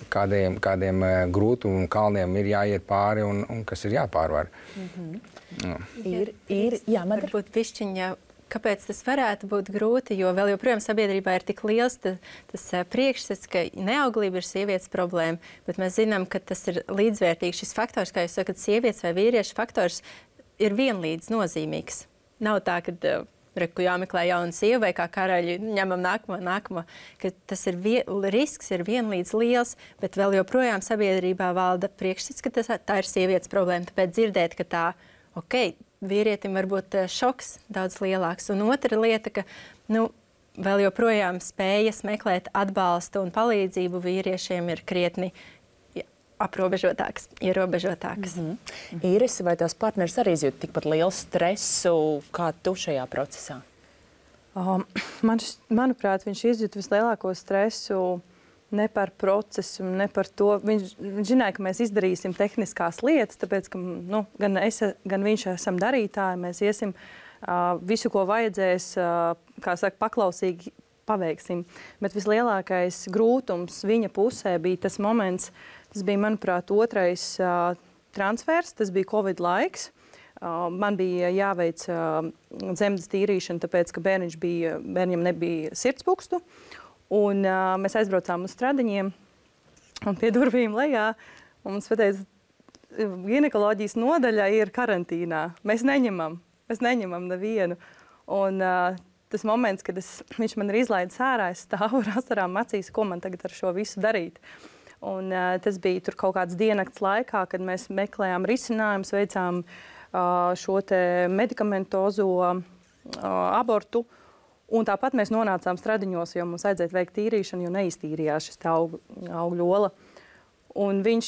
kādiem, kādiem grūtumu kalniem ir jāiet pāri un, un kas ir jāpārvar. Mm-hmm. no. Ir, ir, jā, man varbūt pišķiņa, kāpēc tas varētu būt grūti, jo vēl joprojām sabiedrībā ir tik liels ta, tas priekšstats, ka neauglība ir sievietes problēma, bet mēs zinām, ka tas ir līdzvērtīgs šis faktors, kā jūs sakat, sievietes vai vīriešu faktors ir vienlīdz nozīmīgs. Nav tā, ka uh, reku jāmeklē jauna sieva vai kā karaļi ņemam nākamo, nākamo, ka tas ir vien, risks ir vienlīdz liels, bet vēl joprojām sabiedrībā valda priekšstats, ka tas, tā ir sievietes problēma, tāpēc dzirdēt, ka tā, ok, vīrietim var būt šoks daudz lielāks. Un otra lieta, ka nu, vēl joprojām spējas meklēt atbalstu un palīdzību vīriešiem ir krietni aprobežotāks, ierobežotāks. Mm-hmm. Īris, vai tās partneris arī izjūt tikpat lielu stresu kā tu šajā procesā? Um, man, manuprāt, viņš izjūt vislielāko stresu ne par procesu, ne par to. Viņš, viņš zināja, ka mēs izdarīsim tehniskās lietas, tāpēc, ka nu, gan, es, gan viņš esam darītāji, mēs iesim uh, visu, ko vajadzēs, uh, kā saka, paklausīgi paveiksim. Bet vislielākais grūtums viņa pusē bija tas moments, tas bija, manuprāt, otrais uh, transfers, tas bija Covid laiks. Uh, man bija jāveic uh, dzemdes tīrīšana, tāpēc, ka bērniņš bija, bērniņam nebija sirdspukstu. Un uh, mēs aizbraucām uz Stradiņiem un pie durvīm lejā. Un mums pateica, ginekoloģijas nodaļa ir karantīnā. Mēs neņemam, mēs neņemam nevienu. Un uh, tas moments, kad es, viņš man ir izlaidis ārā, es stāvu ar asarām acīs, ko man tagad ar šo visu darīt. Un uh, tas bija tur kaut kāds diennakts laikā, kad mēs meklējām risinājumus, veicām šo te medikamentozo abortu. Un tāpat mēs nonācām Stradiņos, jo mums vajadzēja veikt tīrīšanu, jo neiztīrījās šis aug, augļu ola. Un viņš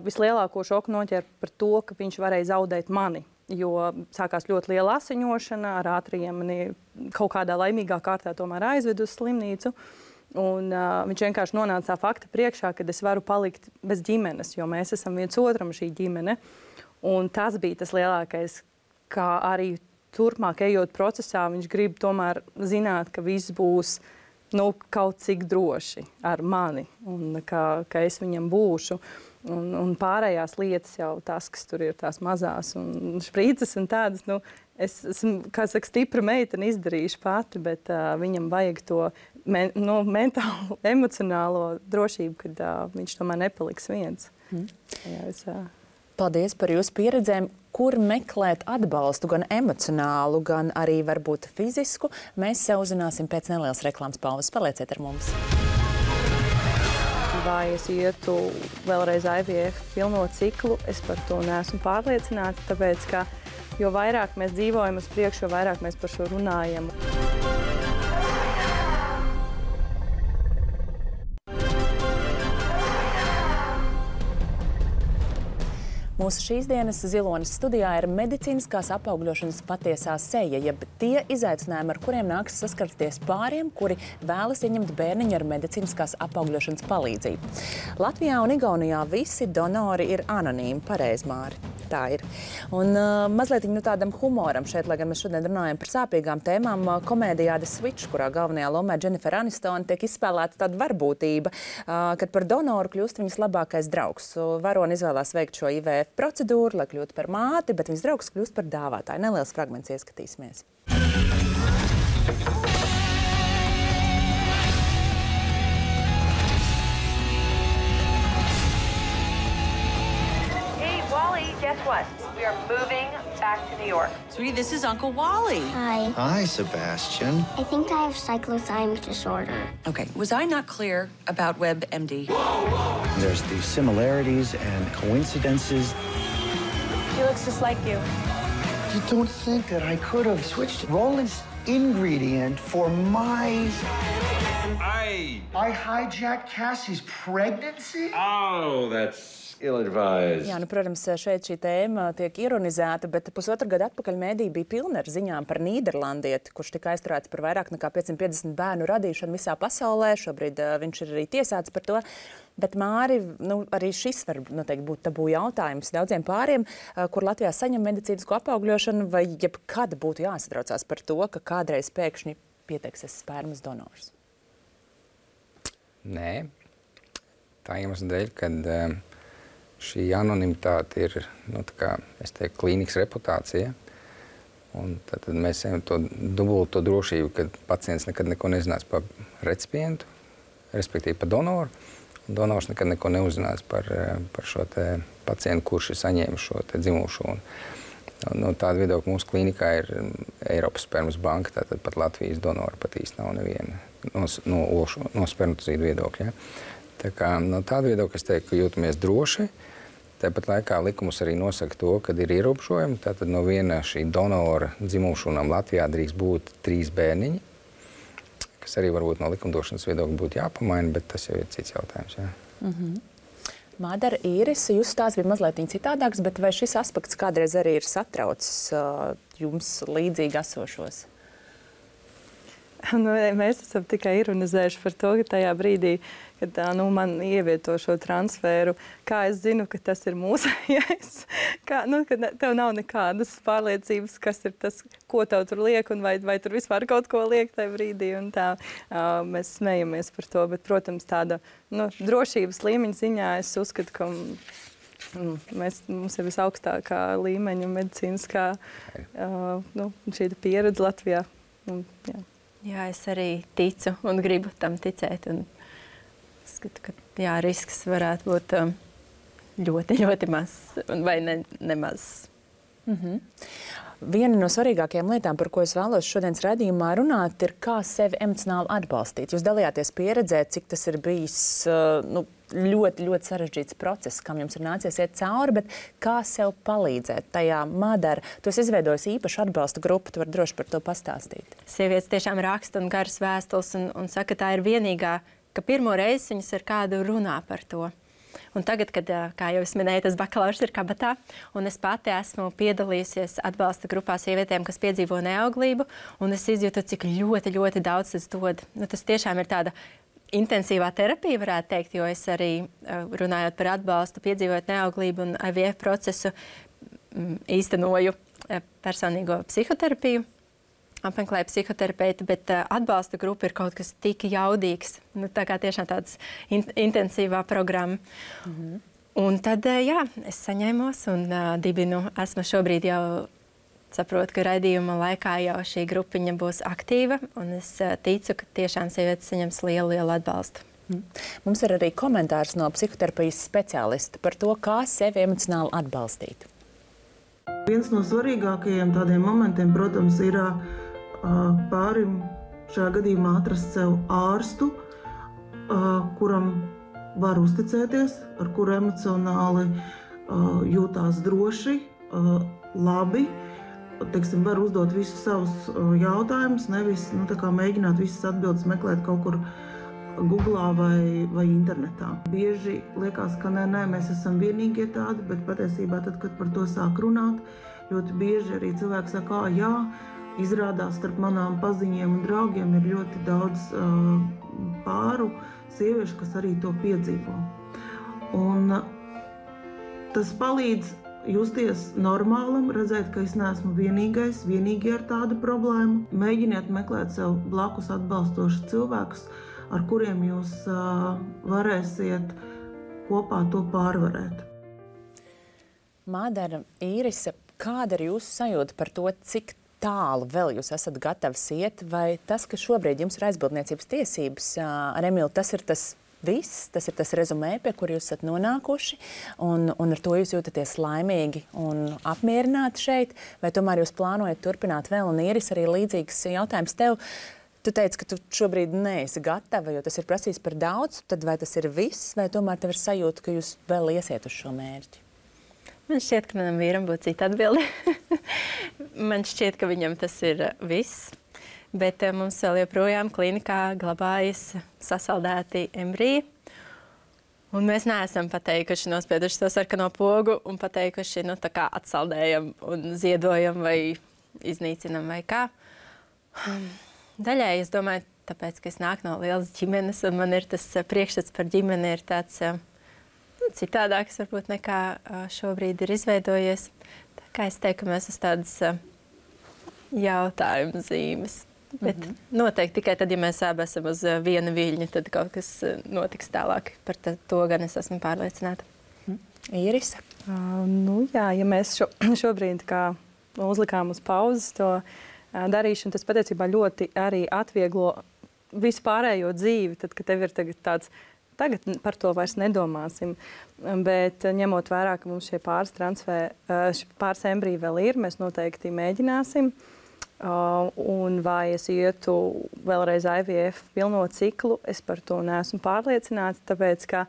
vislielāko šoku noķēra par to, ka viņš varēja zaudēt mani. Jo sākās ļoti liela asiņošana, ar ātriem mani kaut kādā laimīgā kārtā tomēr aizved uz slimnīcu. Un, uh, viņš vienkārši nonāca tā fakta priekšā, ka es varu palikt bez ģimenes, jo mēs esam viens otram šī ģimene. Un tas bija tas lielākais, kā arī turpmāk ejot procesā, viņš grib tomēr zināt, ka viss būs nu, kaut cik droši ar mani un ka, ka es viņam būšu. Un, un pārējās lietas jau tas, kas tur ir tās mazās un šprīces un tādas, nu, es esmu, kā saka, stipra meitene izdarījuši pati, bet uh, viņam vajag to men, nu, mentālo, emocionālo drošību, kad uh, viņš tomēr nepaliks viens. Mm. Jā, es, uh... Paldies par jūsu pieredzēm. Kur meklēt atbalstu, gan emocionālu, gan arī varbūt fizisku, mēs sev uzzināsim pēc nelielas reklāmas pauzes. Palieciet ar mums! Vai es ietu vēlreiz I V F pilno ciklu, es par to neesmu pārliecināta, tāpēc, ka jo vairāk mēs dzīvojam uz priekšu, jo vairāk mēs par šo runājam. Mūsu šīs dienas Zilonis studijā ir medicīniskās apaugļošanas patiesā seja, jeb tie izaicinājumi, ar kuriem nāks saskarties pāriem, kuri vēlas ieņemt bērniņu ar medicīniskās apaugļošanas palīdzību. Latvijā un Igaunijā visi donori ir anonīmi, pareizi, Māri. Tā ir. Un uh, mazliet nu, tādam humoram šeit, lai gan mēs šodien runājam par sāpīgām tēmām, uh, komēdijā The Switch, kurā galvenajā lomā Jennifer Aniston, tiek izspēlēta tāda varbūtība, uh, kad par donoru kļūst viņas labākais draugs. Varoni izvēlās veikt šo I V F procedūru, lai kļūtu par māti, bet viņas draugs kļūst par dāvātāju. Neliels fragments ieskatīsimies. Guess what? We are moving back to New York. Sweetie, this is Uncle Wally. Hi. Hi, Sebastian. I think I have cyclothymic disorder. Okay, was I not clear about WebMD? There's these similarities and coincidences. She looks just like you. You don't think that I could have switched Roland's ingredient for my... I... I hijacked Cassie's pregnancy? Oh, that's... ill-advised. Jā, nu, protams, šeit šī tēma tiek ironizēta, bet pusotru gadu atpakaļ mēdī bija pilna ar ziņām par nīderlandieti, kurš tika aizturēts par vairāk nekā piecsimt piecdesmit bērnu radīšanu visā pasaulē. Šobrīd uh, viņš ir arī tiesāts par to. Bet, Māri, nu, arī šis var noteikti būt tabū jautājums daudziem pāriem, uh, kur Latvijā saņem medicīnisko apaugļošanu, vai jebkad būtu jāsatraucās par to, ka kādreiz pēkšņi pieteiksies spermas donors? Nē. Tā iemesla dēļ, kad... Uh, Šī anonimitāte ir, nu, tā kā, es teiktu, klīnikas reputācija. Un tad, tad mēs ejam to dubulto drošību, kad pacients nekad neko nezinās par recipientu, respektīvi par donoru. Un donors nekad neko neuzzinās par, par šo te pacientu, kurš ir saņēmis šo te dzimumu šūnu. No tāda viedokļa mūsu klīnikā ir Eiropas spermas banka, tātad pat Latvijas donora pat īsti nav neviena no, no, no spermatozīdu viedokļa. Ja? Tā kā no tāda viedokļa es teiktu, ka jūtamies droši. Tāpat laikā likums arī nosaka to, kad ir ierobežojumi. Tātad no viena šī donora dzimumšūnām Latvijā drīkst būt trīs bērniņi, kas arī varbūt no likumdošanas viedokļa būtu jāpamaina, bet tas jau ir cits jautājums. Jā. Mm-hmm. Mādara, Īris, jūsu stāsts bija mazliet citādāks, bet vai šis aspekts kādreiz arī ir satraucis uh, jums līdzīgi esošos? Nu, mēs esam tikai ironizējuši par to, ka tajā brīdī, kad nu, man ievieto šo transferu, kā es zinu, ka tas ir mūsējais, kā, nu, ka tev nav nekādas pārliecības, kas ir tas, ko tev tur liek, un vai, vai tur vispār kaut ko liek tajā brīdī, un tā uh, mēs smejamies par to, bet, protams, tāda nu, drošības līmeņa ziņā es uzskatu, ka mm, mēs, mums ir visaugstākā līmeņa medicīniskā uh, nu, šī pieredze Latvijā. Un, jā. Jā, es arī ticu un gribu tam ticēt. Un skatu, ka jā, risks varētu būt um, ļoti, ļoti mazs vai ne, nemaz. Mm-hmm. Viena no svarīgākajām lietām, par ko es vēlos šodienas raidījumā runāt, ir kā sevi emocionāli atbalstīt. Jūs dalījāties pieredzē, cik tas ir bijis uh, nu, ļoti, ļoti sarežģīts process, kam jums ir nācies iet cauri, bet kā sev palīdzēt tajā? Madara, tu esi izveidojis īpašu atbalsta grupu, tu vari droši par to pastāstīt. Sievietes tiešām raksta un garas vēstules un, un saka, tā ir vienīgā, ka pirmo reizi viņas ar kādu runā par to. Un tagad, kad, kā jau es minēju, tas bakalaurs ir kabatā, un es pati esmu piedalījusies atbalsta grupā sievietēm, kas piedzīvo neauglību, un es izjūtu, cik ļoti, ļoti daudz tas dod. Nu, tas tiešām ir tāda intensīvā terapija, varētu teikt, jo es arī, runājot par atbalstu, piedzīvot neauglību un I V F procesu, īstenoju personīgo psihoterapiju, apmeklēju psihoterapeitu, bet uh, atbalsta grupa ir kaut kas tik jaudīgs. Nu, tā kā tiešām tāds in intensīvā programma. Mm-hmm. Un tad, uh, jā, es saņēmos un uh, dibinu. Esmu šobrīd jau saprotu, ka raidījuma laikā jau šī grupiņa būs aktīva, un es uh, ticu, ka tiešām sievietes saņems lielu, lielu atbalstu. Mm. Mums ir arī komentārs no psihoterapijas speciālista par to, kā sevi emocionāli atbalstīt. Viens no svarīgākajiem tādiem momentiem, protams, ir pārim šajā gadījumā atrast sev ārstu, kuram var uzticēties, ar kuru emocionāli jūtās droši, labi, teiksim, var uzdot visus savus jautājumus, nevis nu, tā kā mēģināt visas atbildes meklēt kaut kur Googlā vai, vai internetā. Bieži liekas, ka nē, nē, mēs esam vienīgie tādi, bet patiesībā tad, kad par to sāk runāt, ļoti bieži arī cilvēki saka, jā, izrādās starp manām paziņiem un draugiem ir ļoti daudz uh, pāru sieviešu, kas arī to piedzīvo. Un uh, tas palīdz justies normālam, redzēt, ka es neesmu vienīgais, vienīgi ar tādu problēmu. Mēģiniet meklēt sev blakus atbalstošus cilvēkus, ar kuriem jūs uh, varēsiet kopā to pārvarēt. Madara, Īrise, kāda ir jūsu sajūta par to, cik tālu vēl jūs esat gatavs iet, vai tas, ka šobrīd jums ir aizbildniecības tiesības ar Emilu, tas ir tas viss, tas ir tas rezumē, pie kur jūs esat nonākuši, un, un ar to jūs jūtaties laimīgi un apmierināti šeit, vai tomēr jūs plānojat turpināt vēl, un Īris, arī līdzīgs jautājums tev. Tu teici, ka tu šobrīd neesi gatava, jo tas ir prasījis par daudz, tad vai tas ir viss, vai tomēr tev ir sajūta, ka jūs vēl iesiet uz šo mērķi? Man šķiet, ka manam vīram būtu cita atbilde. Man šķiet, ka viņam tas ir viss, bet mums vēl joprojām klinikā glabājas sasaldēti embriji. Un mēs neesam pateikuši, nospieduši to sarkano pogu un pateikuši, nu, tā kā atsaldējam un ziedojam vai iznīcinam vai kā. Daļai, es domāju, tāpēc, ka es nāku no lielas ģimenes un man ir tas priekšstats par ģimeni ir tāds citādāks varbūt nekā šobrīd ir izveidojies. Tā kā es teiktu, ka mēs esam tādas jautājumu zīmes. Bet mm-hmm. noteikti tikai tad, ja mēs abi esam uz viena viļņa, tad kaut kas notiks tālāk. Par to gan es esmu pārliecināta. Mm. Īrise? Uh, nu jā, ja mēs šo, šobrīd kā uzlikām uz pauzes to uh, darīšanu, tas patiesībā ļoti arī atvieglo visu pārējo dzīvi, tad, kad tev ir tagad tāds Tagad par to vairs nedomāsim, bet ņemot vērā, ka mums šie pāris transfē, pāris embriji vēl ir, mēs noteikti mēģināsim. Un vai es ietu vēlreiz I V F pilno ciklu, es par to neesmu pārliecināta, tāpēc, ka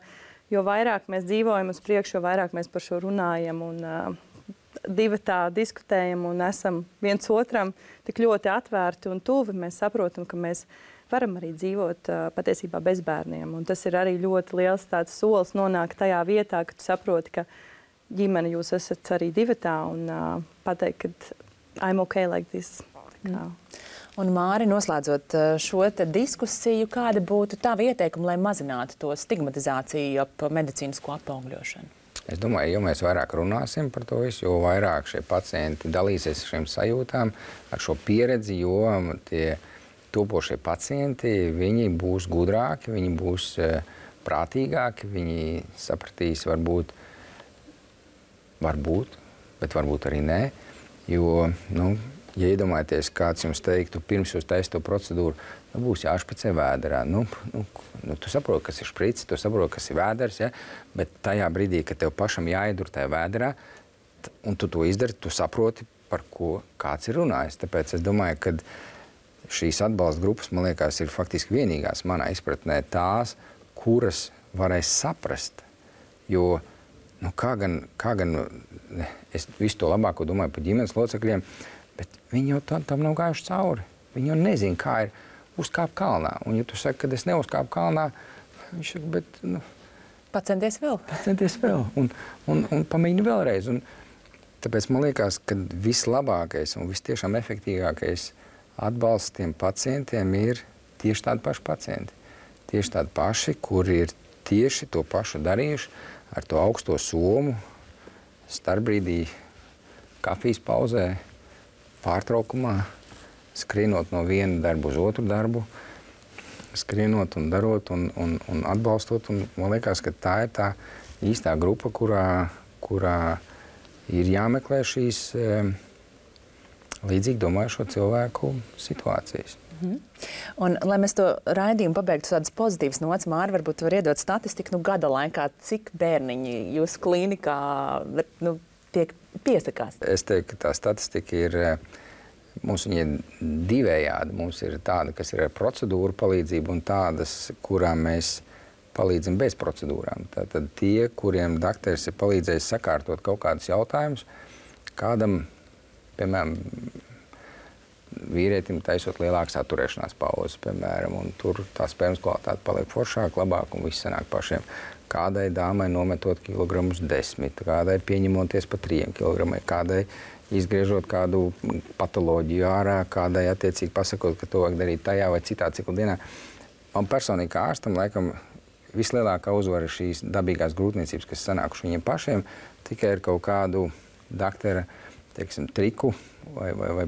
jo vairāk mēs dzīvojam uz priekšu, jo vairāk mēs par šo runājam un divi tā diskutējam un esam viens otram tik ļoti atvērti un tuvi, mēs saprotam, ka mēs varam arī dzīvot uh, patiesībā bez bērniem. Un tas ir arī ļoti liels tāds solis nonākt tajā vietā, ka tu saproti, ka ģimene jūs esat arī divatā un uh, pateikt, ka I'm okay like this. Mm. Un Māri, noslēdzot šo te diskusiju, kāda būtu tava ieteikuma, lai mazinātu to stigmatizāciju ap medicīnisko apaugļošanu? Es domāju, jo mēs vairāk runāsim par to visu, jo vairāk šie pacienti dalīsies ar šīm sajūtām, ar šo pieredzi, jo tie topošie pacienti, viņi būs gudrāki, viņi būs uh, prātīgāki, viņi sapratīs varbūt, varbūt, bet varbūt arī nē, jo, nu, ja iedomājaties, kāds jums teiktu, pirms jūs taisat to procedūru, nu, būs jāšpicē vēderā. Nu, nu, nu, tu saproti, kas ir špricis, tu saproti, kas ir vēders, ja? Bet tajā brīdī, kad tev pašam jāiedur tajā vēderā, un tu to izdari, tu saproti, par ko kāds ir runājis. Tāpēc es domāju, ka šīs atbalsta grupas, man liekas, ir faktiski vienīgās manā izpratnē tās, kuras varēs saprast. Jo, nu, kā gan, kā gan es visu to labāko domāju par ģimenes locekļiem, bet viņi jau tam, tam nav gājuši cauri. Viņi jau nezina, kā ir uzkāpt kalnā. Un, ja tu saki, ka es neuzkāpu kalnā, viņš saka, bet, nu, pacenties vēl. Pacenties vēl un, un, un pamēģini vēlreiz. Un tāpēc man liekas, ka vislabākais un vistiešām efektīvākais atbalsts tiem pacientiem ir tieši tādi paši pacienti. Tieši tādi paši, kuri ir tieši to pašu darījuši ar to augsto somu, starpbrīdī, kafijas pauzē, pārtraukumā, skrienot no viena darbu uz otru darbu, skrienot un darot un, un, un atbalstot. Un man liekas, ka tā ir tā īstā grupa, kurā, kurā ir jāmeklē šīs e, līdzīgi domājušo cilvēku situācijas. Mhm. Un, lai mēs to raidījumu pabeigtu tādas pozitīvas nots, Māra, varbūt tu var iedot statistiku, nu, gada laikā, cik bērniņi jūsu klīnikā, nu, tiek piesakās? Es teiktu, ka tā statistika ir, mums viņa ir divējādi. Mums ir tāda, kas ir ar procedūru palīdzību, un tādas, kurām mēs palīdzam bez procedūrām. Tātad tie, kuriem dakteris ir palīdzējis sakārtot kaut kādus jautājumus, kādam, piemēram, vīrietim taisot lielākas atturēšanās pauzes, piemēram, un tur tā spermas kvalitāte paliek foršāk, labāk, un viss sanāk pašiem. Kādai dāmai nometot kilogramus desmit, kādai pieņemoties pa trījiem kilogramai, kādai izgriežot kādu patoloģiju ārā, kādai attiecīgi pasakot, ka to vajag darīt tajā vai citā cikla dienā. Man personīgi kā ārstam, laikam, vislielākā uzvara ir šīs dabīgās grūtniecības, kas sanākuši viņiem pašiem, tikai ar kaut kādu daktera, teiksim, triku vai, vai, vai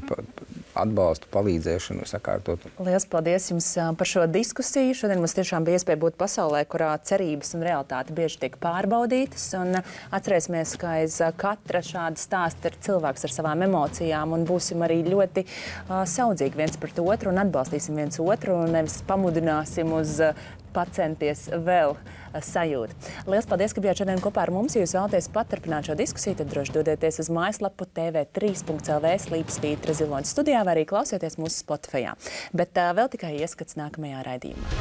atbalstu, palīdzēšanu sakārtot. Lielas paldies jums par šo diskusiju. Šodien mums tiešām bija iespēja būt pasaulē, kurā cerības un realitāte bieži tiek pārbaudītas. Un atcerēsimies, ka aiz katra šāda stāsta ir cilvēks ar savām emocijām, un būsim arī ļoti uh, saudzīgi viens pret otru un atbalstīsim viens otru un nevis pamudināsim uz uh, pacenties vēl sajūtu. Lielas paldies, ka bijāt šodien kopā ar mums. Ja jūs vēlaties paturpināt šo diskusiju, tad droši dodieties uz mājaslapu t v trīs punkts l v slīpsvītra ziloņa studijā vai arī klausieties mūsu Spotifyā. Bet uh, vēl tikai ieskats nākamajā raidījumā.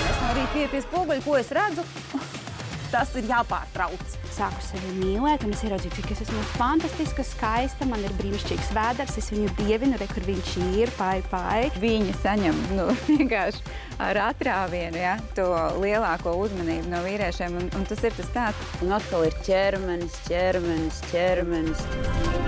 Es no rīta pie spoguļa, ko es redzu, tas ir jāpārtrauc. Sāku sevi mīlēt, un es ieraudzīju, cik es esmu fantastiska, skaista, man ir brīnišķīgs vēders, es viņu dievinu, re, kur viņš ir, pai, pai. Viņi saņem, nu, vienkārši ar atrāvienu, ja, to lielāko uzmanību no vīriešiem, un, un tas ir tas tāds. Un atkal ir ķermenis, ķermenis, ķermenis.